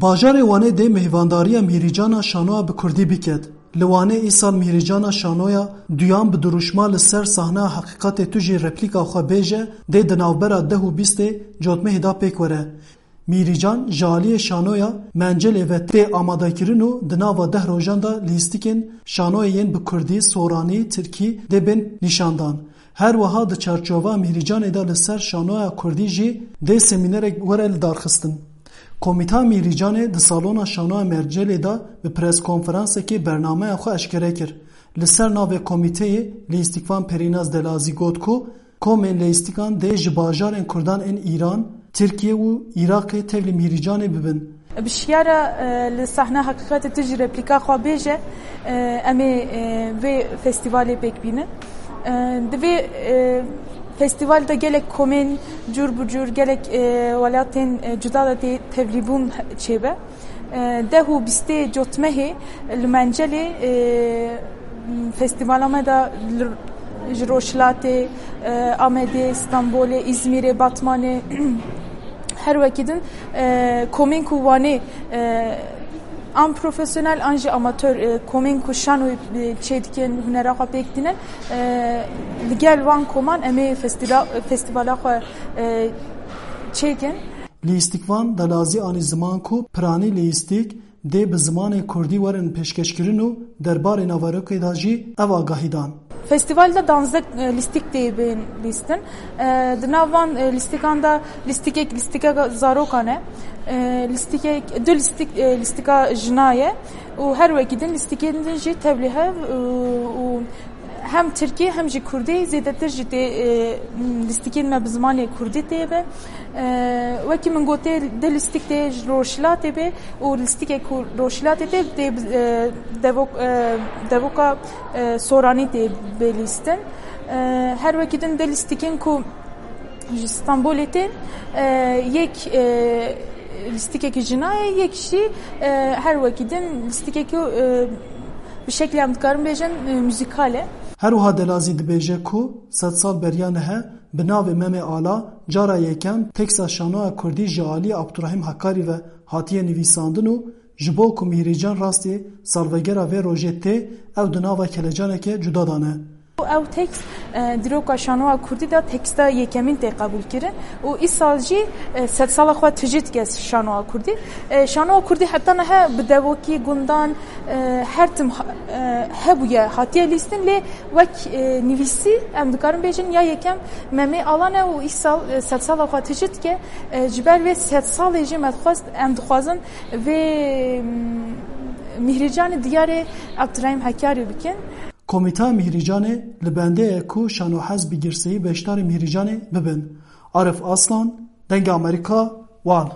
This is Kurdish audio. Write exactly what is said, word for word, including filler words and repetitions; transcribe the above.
Bajarê Wanê dê mêhvandariya Mîhrîcana şanoya bi kurdî biket. Li Wanê îsal Mîhrîcana şanoya duyan bi dirûşma Li ser sahneya heqîqetê tu jî replîka xwe bêje dê di navbera deh û bîstê Cotmehê de pêk were. Mîhrîcan ji aliyê şanoya Mencelê ve tê amadekirin û di nava deh rojan de lîstikên şanoyê yên bi kurdî, soranî, tirkî dê bên nîşandan. Her wiha di çarçova Mîhrîcanê de li ser şanoya kurdî jî dê semînerek were lidarxistin. Komîta Mîhrîcanê di salona şanoya Mercelê de bi preskonferansekê bernameya xwe eşkere kir. Li ser navê komîteyê Lîstikvan Perînaz Delazî got ku komên lîstikan dê ji bajarên kurdan ên Îran, Tirkiye û Iraqê tevlî Mîhrîcanê bibin. Bi şiyara, e, li sahne heqîqetê tu jî replîka xwe bêje, e, em ê, e, vê festîvalê pêk bînin. E, di vê, e, festîval de gelek komên cûr bi cûr, gelek, e, welatên, e, cuda de tê tevlîbûn çêbe. E, deh û bîstê Cotmehê li Mencelê, e, festîvala me de li, ji Rojhilatê, e, Amedê, Stenbolê, Îzmîrê, Batmanê, her wekî din, e, komên ku Wanê, e, an profesyonel an jî amatör, e, komên ku şanoyê, e, çêdikin, hunera xwe pêk tînin, e, li gel wan koman em ê festîla-, festîvala xwe, e, çêkin. Lîstikvan Delazî anî ziman ku piranî lîstik dê bi zimanê kurdî werin pêşkeşkirin û derbarê naverokê de jî ev agahî dan. Festîval de danzdeh, e, lîstik tê bên lîstin. E, di nav van, e, lîstikan de lîstikek lîstika zarokan e. E, lîstikek, du lîstik, e, lîstika jina ye û her wekî din lîstikên din jî tevlî hev, e, û hem tirkî hem jî kurdî zêdetir jî tê, e, lîstikên me bi zimanê kurdî tê be. E, wekî min gotê, di lîstik tê ji Rojhilatê be û lîstikek ku Rojhilatê tê, tê, e, devok-, e, devoka, e, soranî tê bê lîstin. E, her wekî din di lîstikên ku ji Stenbolê tên, e, yek, e, lîstikekî jina ye, yek jî, e, her wekî din lîstikekî, e, bi şeklê em dikarin bêjin, e, muzîkal e. Her wiha Delazî dibêje ku sed sal beriya nihe bi navê Memê Ala cara yekem teksa şanoya kurdî ji alî Abdurahîm Hekarî ve hatiye nivîsandin û ji bo ku Mîhrîcan rastî salvegera vê rojê tê, ew di nava kelecaneke cuda de ne. Ew tekst, e, dîroka şanoya kurdî de teksta yekemîn tê qebûlkirin û îsal jî, e, sedsala xwe tijî dike şanoya kurdî. E, şanoya kurdî heta niha bi devokî gundan, e, her tim ha-, e, hebûye, hatiye lîstin, lê wek, e, nivîsî em dikarin bêjin ya yekem Memê Alan e û îsal, e, sedsala xwe tijî dike. E, ji ber vê sedsalê jî me dixwest, em dixwazin vê, mm, Mîhrîcanê diyarê Abdurahîm Hekarî bikin. Komîta Mîhrîcanê li bendê ye ku şanohez bi girseyî beşdarî Mîhrîcanê bibin. Arif Aslan, Dengê Amerîka, Wan.